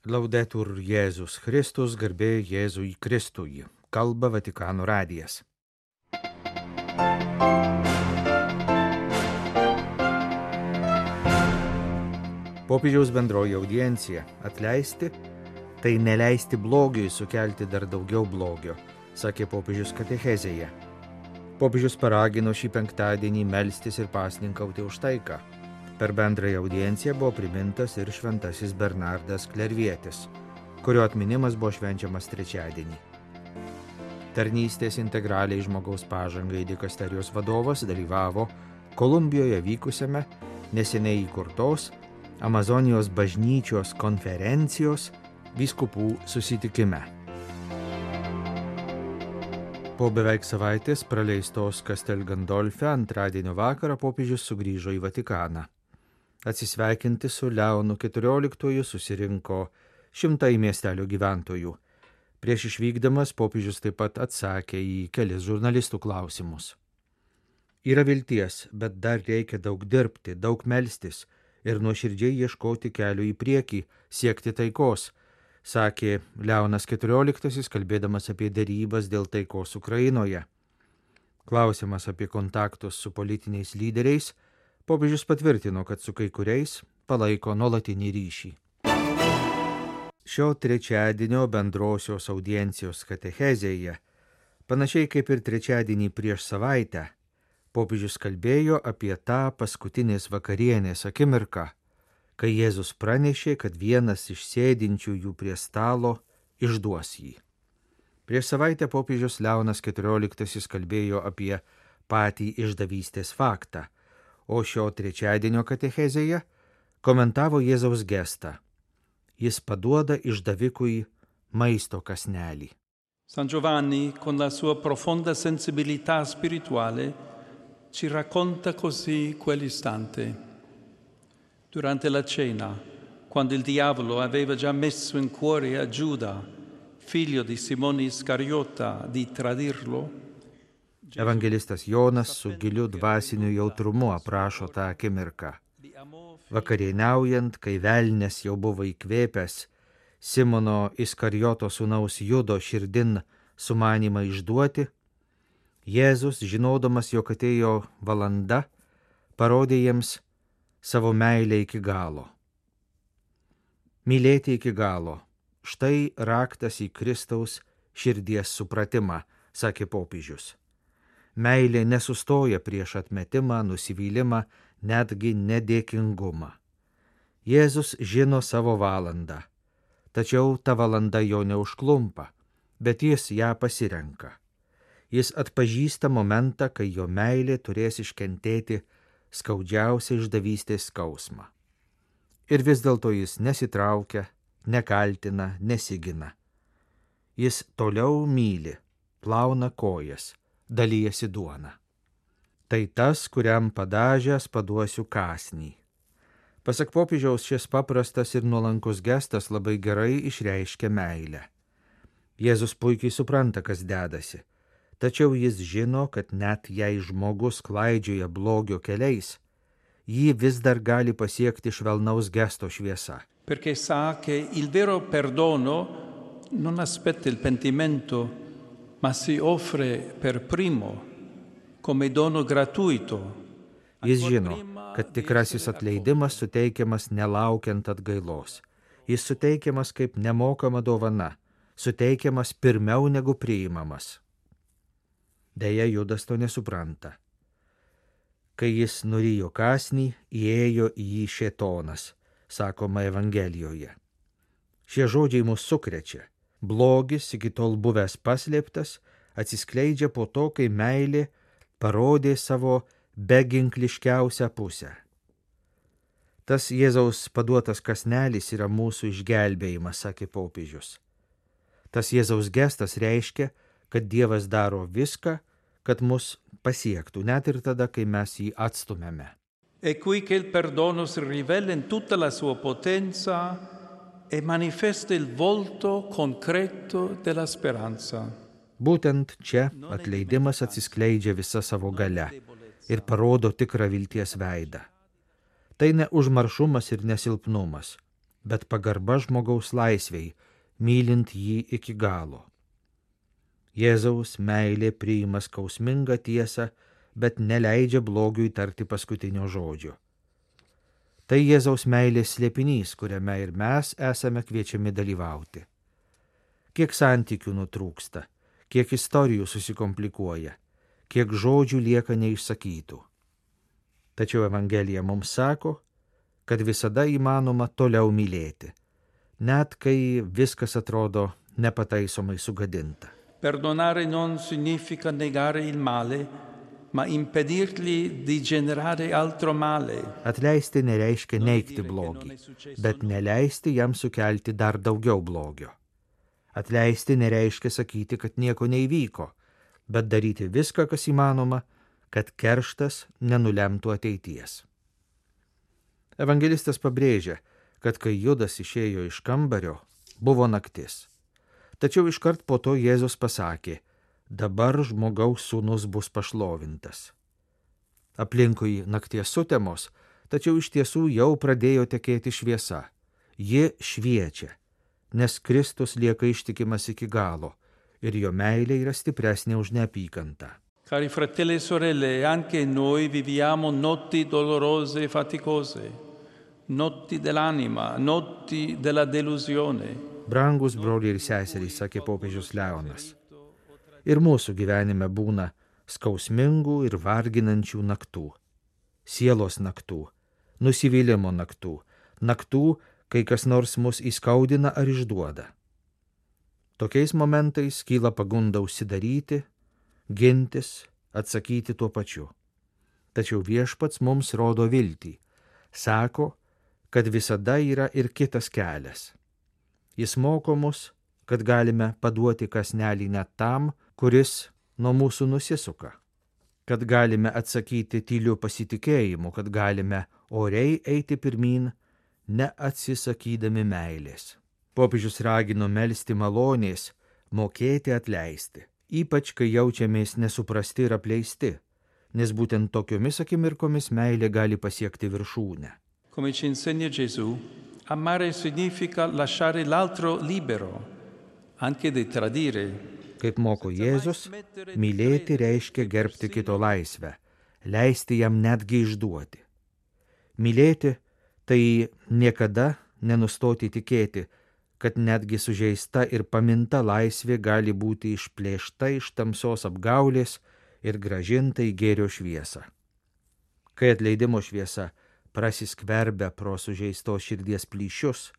Laudetur Jėzus Kristus, garbė Jėzui Kristui. Kalba Vatikano radijas. Popiežiaus bendroji audiencija - atleisti, tai neleisti blogiui sukelti dar daugiau blogio, sakė popiežius katechezėje. Popiežius paragino šį penktadienį melstis ir pasninkauti už taiką. Per bendrąją audienciją buvo primintas ir šventasis Bernardas Klervietis, kurio atminimas buvo švenčiamas trečiadienį. Tarnystės integraliai žmogaus pažangai dikasterijos vadovas dalyvavo Kolumbijoje vykusiame neseniai įkurtos Amazonijos bažnyčios konferencijos vyskupų susitikime. Po beveik savaitės praleistos Castel Gandolfe antradienio vakarą popiežius sugrįžo į Vatikaną. Atsisveikinti su Leonu XIV susirinko šimtai miestelio gyventojų. Prieš išvykdamas popiežius taip pat atsakė į kelis žurnalistų klausimus. Yra vilties, bet dar reikia daug dirbti, daug melstis ir nuoširdžiai ieškoti kelių į priekį, siekti taikos, sakė Leonas XIV, kalbėdamas apie derybas dėl taikos Ukrainoje. Klausimas apie kontaktus su politiniais lyderiais, popiežius patvirtino, kad su kai kuriais palaiko nuolatinį ryšį. Šio trečiadienio bendrosios audiencijos katechezėje, panašiai kaip ir trečiadienį prieš savaitę, popiežius kalbėjo apie tą paskutinės vakarienės akimirką, kai Jėzus pranešė, kad vienas iš sėdinčiųjų prie stalo išduos jį. Prieš savaitę popiežius Leonas XIV kalbėjo apie patį išdavystės faktą, o šio trečiadienio katechezėje komentavo Jėzaus gestą. Jis paduoda išdavikui maisto kąsnelį. San Giovanni, con la sua profonda sensibilità spirituale, ci racconta così quell'istante. Durante la cena, quando il diavolo aveva già messo in cuore a Giuda, figlio di Simone Iscariota, di tradirlo, Evangelistas Jonas su giliu dvasiniu jautrumu aprašo tą akimirką. Vakarieniaujant, kai velnias jau buvo įkvėpęs Simono Iskarijoto sūnaus Judo širdin sumanymą išduoti, Jėzus, žinodamas, jog atėjo valanda, parodė jiems savo meilę iki galo. Mylėti iki galo - štai raktas į Kristaus širdies supratimą, sakė popiežius. Meilė nesustoja prieš atmetimą, nusivylimą, netgi nedėkingumą. Jėzus žino savo valandą, tačiau ta valanda jo neužklumpa, bet jis ją pasirenka. Jis atpažįsta momentą, kai jo meilė turės iškentėti skaudžiausią išdavystės skausmą. Ir vis dėlto jis nesitraukia, nekaltina, nesigina. Jis toliau myli, plauna kojas, dalijasi duona. Tai tas, kuriam padažęs paduosiu kąsnį. Pasak popiežiaus, šis paprastas ir nuolankus gestas labai gerai išreiškia meilę. Jėzus puikiai supranta, kas dedasi, tačiau jis žino, kad net jei žmogus klaidžioja blogio keliais, jį vis dar gali pasiekti švelnaus gesto šviesa. Perché sa che il vero perdono non aspetta il pentimento, ma si offre per primo come dono gratuito. Jis žino, kad tikrasis atleidimas suteikiamas nelaukiant atgailos. Jis suteikiamas kaip nemokama dovana, suteikiamas pirmiau negu priimamas. Deja, Judas to nesupranta. Kai jis nurijo kąsnį, įėjo į jį šėtonas, sakoma Evangelijoje. Šie žodžiai mus sukrečia. Blogis, iki tol buvęs paslėptas, atsiskleidžia po to, kai meilė parodė savo beginkliškiausią pusę. Tas Jėzaus paduotas kąsnelis yra mūsų išgelbėjimas, sakė popiežius. Tas Jėzaus gestas reiškia, kad Dievas daro viską, kad mus pasiektų, net ir tada, kai mes jį atstumėme. È qui che il perdono si rivela in tutta la sua potenza e manifesta il volto concreto della speranza. Būtent čia atleidimas atsiskleidžia visa savo galia ir parodo tikrą vilties veidą. Tai ne užmaršumas ir nesilpnumas, bet pagarba žmogaus laisvei, mylint jį iki galo. Jėzaus meilė priima skausmingą tiesą, bet neleidžia blogiui tarti paskutinio žodžio. Tai Jėzaus meilės slėpinys, kuriame ir mes esame kviečiami dalyvauti. Kiek santykių nutrūksta, kiek istorijų susikomplikuoja, kiek žodžių lieka neišsakytų. Tačiau Evangelija mums sako, kad visada įmanoma toliau mylėti, net kai viskas atrodo nepataisomai sugadinta. Perdonare non significa negare il male, ma impedirgli di generare altro male. Atleisti nereiškia neigti blogį, bet neleisti jam sukelti dar daugiau blogio. Atleisti nereiškia sakyti, kad nieko neįvyko, bet daryti viską, kas įmanoma, kad kerštas nenulemtų ateities. Evangelistas pabrėžia, kad kai Judas išėjo iš kambario, buvo naktis. Tačiau iškart po to Jėzus pasakė, dabar žmogaus sūnus bus pašlovintas. Aplinkui nakties sutemos, tačiau iš tiesų jau pradėjo tekėti šviesa. Ji šviečia, nes Kristus lieka ištikimas iki galo ir jo meilė yra stipresnė už neapykantą. Cari fratelli e sorelle, anche noi viviamo notti dolorose e faticose, notti dell'anima, notti della delusione. Brangus broliai ir seserys, sakė popiežius Leonas. Ir mūsų gyvenime būna skausmingų ir varginančių naktų, sielos naktų, nusivylimo naktų, naktų, kai kas nors mus įskaudina ar išduoda. Tokiais momentais kyla pagunda užsidaryti, gintis, atsakyti tuo pačiu. Tačiau Viešpats mums rodo viltį, sako, kad visada yra ir kitas kelias. Jis moko mus, kad galime paduoti kąsnelį net tam, kuris nuo mūsų nusisuka, kad galime atsakyti tyliu pasitikėjimu, kad galime oriai eiti pirmyn, neatsisakydami meilės. Popiežius ragino melsti malonės, mokėti atleisti, ypač kai jaučiamės nesuprasti ir apleisti, nes būtent tokiomis akimirkomis meilė gali pasiekti viršūnę. Come ci insegna Gesù, amare significa lasciare l'altro libero, anche di tradire. Kaip moko Jėzus, mylėti reiškia gerbti kito laisvę, leisti jam netgi išduoti. Mylėti tai niekada nenustoti tikėti, kad netgi sužeista ir paminta laisvė gali būti išplėšta iš tamsos apgaulės ir grąžinta į gėrio šviesą. Kai atleidimo šviesa prasiskverbia pro sužeistos širdies plyšius,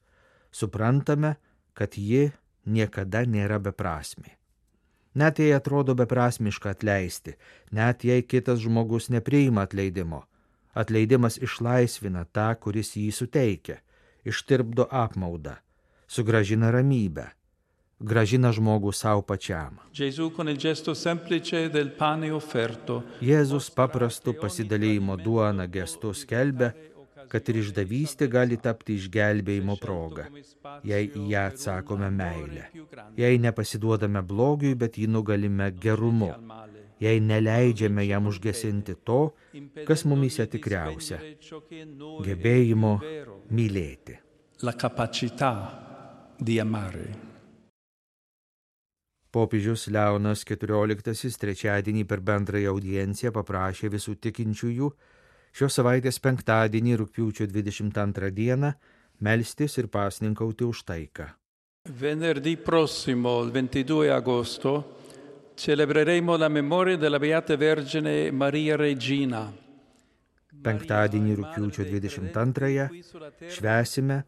suprantame, kad ji niekada nėra beprasmė. Net jei atrodo beprasmiška atleisti, net jei kitas žmogus nepriima atleidimo, atleidimas išlaisvina tą, kuris jį suteikia, ištirpdo apmaudą, sugrąžina ramybę, grąžina žmogų savo pačiam. Jėzus paprastu pasidalijimo duona gestu skelbia, kad ir išdavystė gali tapti išgelbėjimo proga, jei į ją atsakome meilę, jei nepasiduodame blogiui, bet jį nugalime gerumu, jei neleidžiame jam užgesinti to, kas mumyse tikriausia – gebėjimo mylėti. La capacità di amare. Popiežius Leonas XIV trečiadienį per bendrąją audienciją paprašė visų tikinčiųjų šios savaitės penktadienį rugpjūčio 22 dieną melstis ir pasninkauti už taiką. Venerdì prossimo, il 22 agosto, celebreremo la memoria della Beata Vergine Maria Regina. Penktadienį rugpjūčio 22 švęsime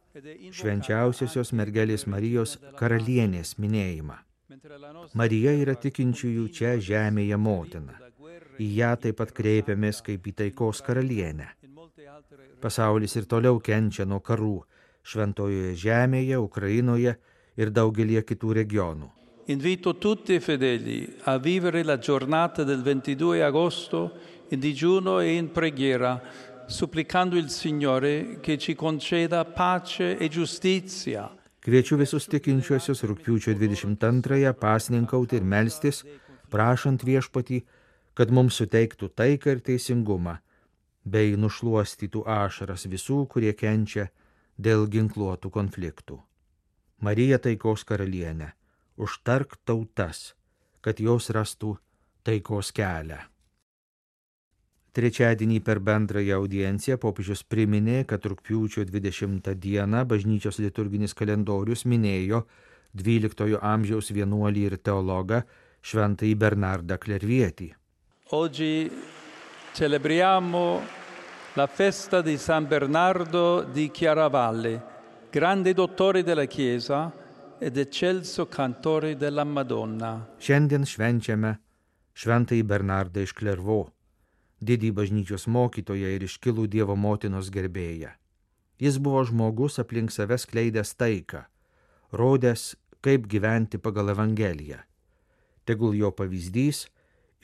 švenčiausiosios mergelės Marijos karalienės minėjimą. Marija yra tikinčiųjų čia žemėje motina. Į ją taip pat kreipiamės kaip į taikos karalienę. Pasaulis ir toliau kenčia nuo karų šventojoje žemėje, Ukrainoje ir daugelie kitų regionų. Invito tutti i fedeli a vivere la giornata del 22 agosto in digiuno e in preghiera, supplicando il Signore che ci conceda pace e giustizia. Kviečiu visus tikinčiuosius rugpjūčio 22 pasninkauti ir melstis, prašant Viešpatį, kad mums suteiktų taiką ir teisingumą, bei nušluostytų ašaras visų, kurie kenčia dėl ginkluotų konfliktų. Marija taikos karalienė, užtark tautas, kad jos rastų taikos kelią. Trečiadienį per bendrąją audienciją popiežius priminė, kad rugpjūčio 20 dieną bažnyčios liturginis kalendorius minėjo 12 amžiaus vienuolį ir teologą šventąjį Bernardą Klervietį. Oggi celebriamo la festa di San Bernardo di Chiaravalle, grande dottore della Chiesa ed eccelso cantore della Madonna. Šiandien švenčiame šventąjį Bernardą iš Klervo, didį bažnyčios mokytoją ir iškilų Dievo motinos gerbėją. Jis buvo žmogus aplink save skleidęs taiką, rodęs, kaip gyventi pagal Evangeliją. Tegul jo pavyzdys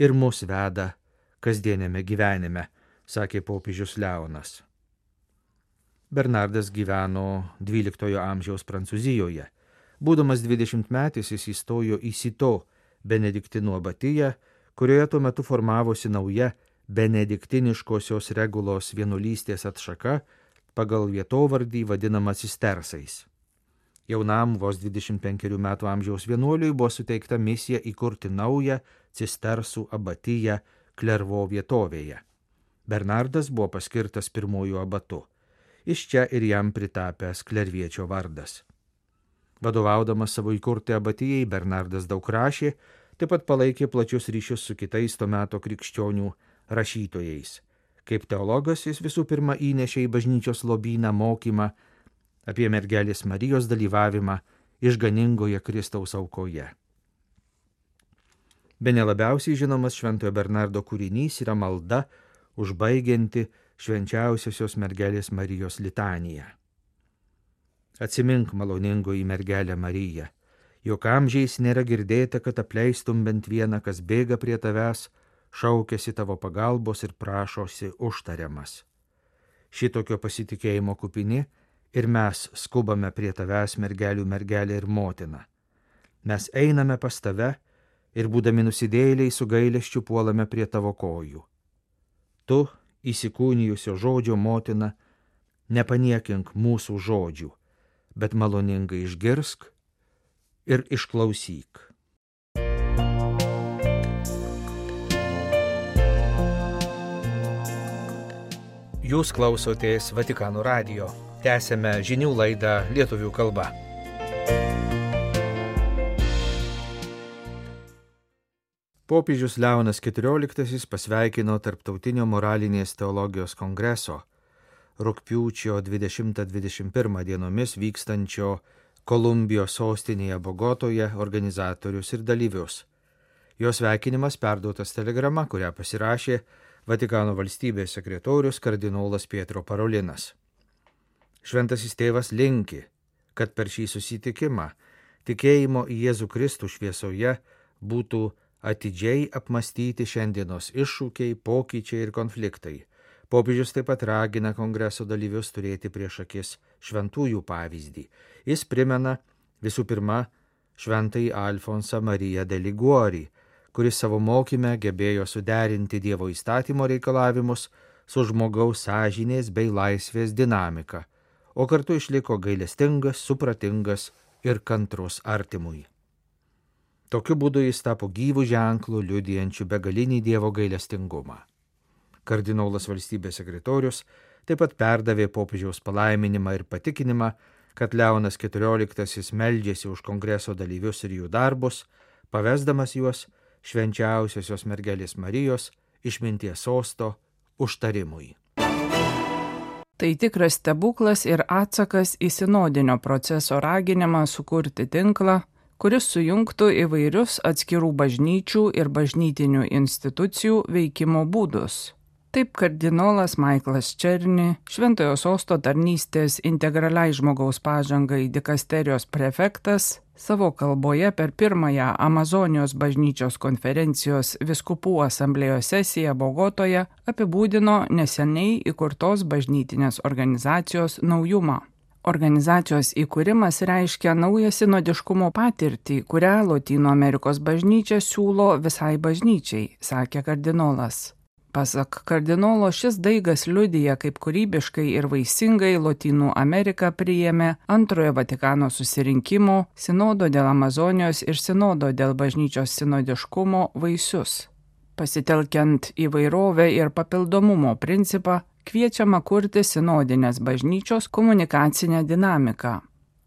ir mus veda kasdienėme gyvenime, sakė popiežius Leonas. Bernardas gyveno 12 amžiaus Prancūzijoje. Būdamas 20-metis jis įstojo į Sito benediktinų abatiją, kurioje tuo metu formavosi nauja benediktiniškosios regulos vienuolystės atšaka pagal vietovardį vadinamą cistersais. Jaunam vos 25 metų amžiaus vienuoliui buvo suteikta misija įkurti naują cistersų abatiją Klervo vietovėje. Bernardas buvo paskirtas pirmųjų abatu. Iš čia ir jam pritapęs Klerviečio vardas. Vadovaudamas savo įkurtai abatijai, Bernardas daug rašė, taip pat palaikė plačius ryšius su kitais to meto krikščionių rašytojais. Kaip teologas jis visų pirma įnešė į bažnyčios lobyną mokymą apie mergelės Marijos dalyvavimą išganingoje Kristaus aukoje. Bene labiausiai žinomas šventojo Bernardo kūrinys yra malda užbaigianti švenčiausiosios mergelės Marijos litaniją. Atsimink maloningoji mergelę Mariją, jog amžiais nėra girdėta, kad apleistum bent vieną, kas bėga prie tavęs, šaukėsi tavo pagalbos ir prašosi užtariamas. Šitokio pasitikėjimo kupini ir mes skubame prie tavęs, mergelių mergelė ir motina. Mes einame pas tave ir būdami nusidėjėliai su gailesčiu puolame prie tavo kojų. Tu, įsikūnijusio žodžio motina, nepaniekink mūsų žodžių, bet maloningai išgirsk ir išklausyk. Jūs klausotės Vatikano radijo. Tęsėme žinių laidą lietuvių kalba. Popiežius Leonas XIV pasveikino Tarptautinio moralinės teologijos kongreso rugpjūčio 20-21 dienomis vykstančio Kolumbijos sostinėje Bogotoje organizatorius ir dalyvius. Jos sveikinimas perduotas telegrama, kurią pasirašė Vatikano valstybės sekretorius kardinolas Pietro Parolinas. Šventasis tėvas linki, kad per šį susitikimą tikėjimo į Jėzų Kristų šviesoje būtų atidžiai apmastyti šiandienos iššūkiai, pokyčiai ir konfliktai. Popiežius taip pat ragina kongreso dalyvius turėti prieš akis šventųjų pavyzdį. Jis primena visų pirma šventąjį Alfonsą Mariją de Liguori, kuris savo mokyme gebėjo suderinti Dievo įstatymo reikalavimus su žmogaus sąžinės bei laisvės dinamika, o kartu išliko gailestingas, supratingas ir kantrus artimui. Tokiu būdu jis tapo gyvų ženklų, liudijančių begalinį Dievo gailestingumą. Kardinolas valstybės sekretorius taip pat perdavė popiežiaus palaiminimą ir patikinimą, kad Leonas XIV meldžiasi už kongreso dalyvius ir jų darbus, pavesdamas juos švenčiausiosios mergelės Marijos išminties sosto užtarimui. Tai tikras stebuklas ir atsakas į sinodinio proceso raginimą sukurti tinklą, kuris sujungtų įvairius atskirų bažnyčių ir bažnytinių institucijų veikimo būdus. Taip kardinolas Michaelas Černi, Šventojo sosto tarnystės integraliai žmogaus pažangai dikasterijos prefektas, savo kalboje per pirmąją Amazonijos bažnyčios konferencijos vyskupų asamblėjos sesiją Bogotoje apibūdino neseniai įkurtos bažnytinės organizacijos naujumą. Organizacijos įkūrimas reiškia naują sinodiškumo patirtį, kurią Lotynų Amerikos bažnyčia siūlo visai bažnyčiai, sakė kardinolas. Pasak kardinolo, šis daigas liudija, kaip kūrybiškai ir vaisingai Lotynų Amerika priėmė antrojo Vatikano susirinkimo, sinodo dėl Amazonijos ir sinodo dėl bažnyčios sinodiškumo vaisius. Pasitelkiant įvairovę ir papildomumo principą, kviečiama kurti sinodinės bažnyčios komunikacinę dinamiką.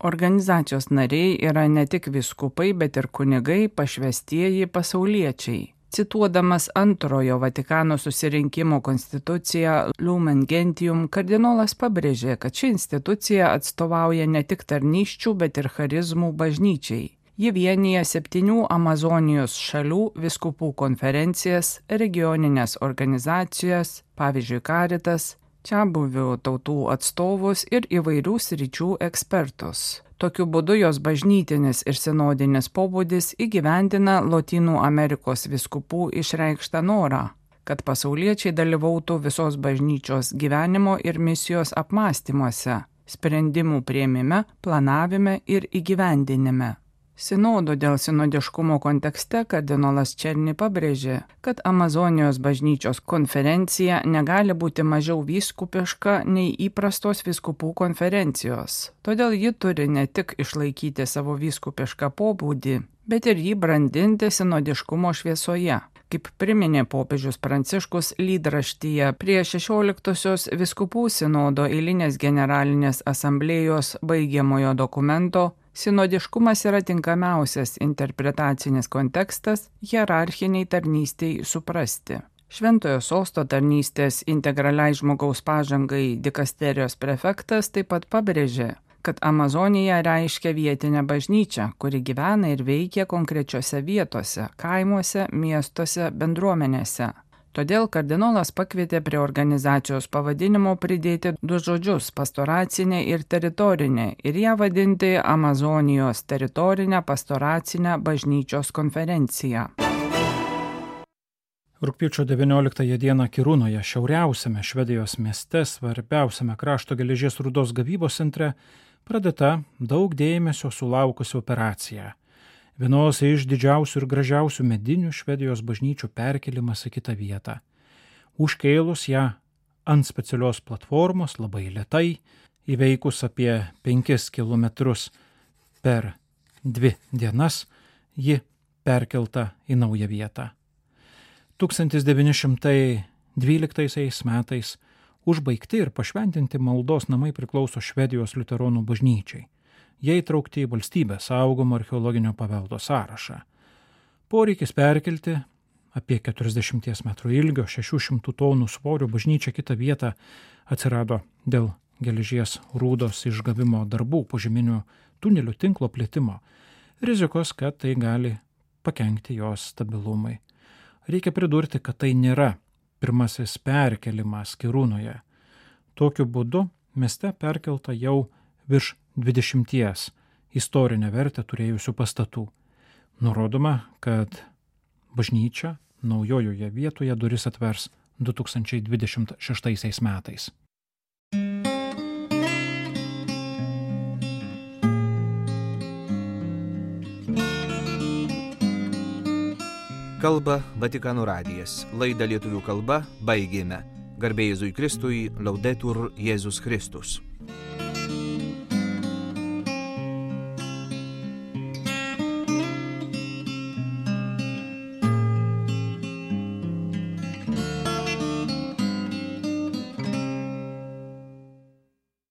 Organizacijos nariai yra ne tik vyskupai, bet ir kunigai, pašvestieji pasauliečiai. Cituodamas antrojo Vatikano susirinkimo konstituciją Lumen Gentium, kardinolas pabrėžė, kad ši institucija atstovauja ne tik tarnysčių, bet ir charizmų bažnyčiai. Ji vienyje 7 Amazonijos šalių vyskupų konferencijas, regioninės organizacijas, pavyzdžiui Caritas, čiabuvių tautų atstovus ir įvairių sričių ekspertus. Tokiu būdu jos bažnytinis ir sinodinis pobūdis įgyvendina Lotynų Amerikos vyskupų išreikštą norą, kad pasauliečiai dalyvautų visos bažnyčios gyvenimo ir misijos apmąstymuose, sprendimų priėmime, planavime ir įgyvendinime. Sinodo dėl sinodiškumo kontekste kardinolas Černi pabrėžė, kad Amazonijos bažnyčios konferencija negali būti mažiau vyskupiška nei įprastos vyskupų konferencijos. Todėl ji turi ne tik išlaikyti savo vyskupišką pobūdį, bet ir jį brandinti sinodiškumo šviesoje. Kaip priminė popiežius Pranciškus lydraštyje prie 16-osios vyskupų sinodo eilinės generalinės asamblėjos baigiamojo dokumento, sinodiškumas yra tinkamiausias interpretacinis kontekstas hierarchiniai tarnystei suprasti. Šventojo sosto tarnystės integraliai žmogaus pažangai dikasterijos prefektas taip pat pabrėžė, kad Amazonija reiškia vietinę bažnyčią, kuri gyvena ir veikia konkrečiose vietose, kaimuose, miestuose, bendruomenėse. Todėl kardinolas pakvietė prie organizacijos pavadinimo pridėti 2 žodžius – pastoracinė ir teritorinė ir ją vadinti Amazonijos teritorinę pastoracinę bažnyčios konferenciją. Rugpjūčio 19 dieną Kirūnoje, šiauriausiame Švedijos mieste, svarbiausiame krašto geležies rūdos gavybos centre, pradėta daug dėmesio sulaukusi operacija. Vienos iš didžiausių ir gražiausių medinių Švedijos bažnyčių perkelimas į kitą vietą. Užkėlus ją ant specialios platformos labai lėtai, įveikus apie 5 kilometrus per 2 dienas, ji perkelta į naują vietą. 1912 metais užbaigti ir pašventinti maldos namai priklauso Švedijos liuteronų bažnyčiai. Jie įtraukti į valstybės saugomo archeologinio paveldo sąrašą. Poreikis perkelti apie 40 metrų ilgio, 600 tonų svorio bažnyčią kitą vietą atsirado dėl geležies rūdos išgavimo darbų, požeminių tunelių tinklo plėtimo, rizikos, kad tai gali pakenkti jos stabilumui. Reikia pridurti, kad tai nėra pirmasis perkelimas Kirūnoje. Tokiu būdu mieste perkelta jau virš 20 istorinę vertę turėjusių pastatų. Nurodoma, kad bažnyčia naujojoje vietoje duris atvers 2026 metais. Kalba Vatikano radijas. Laidą lietuvių kalba baigėme. Garbė Jėzui Kristui, Laudetur Jėzus Kristus.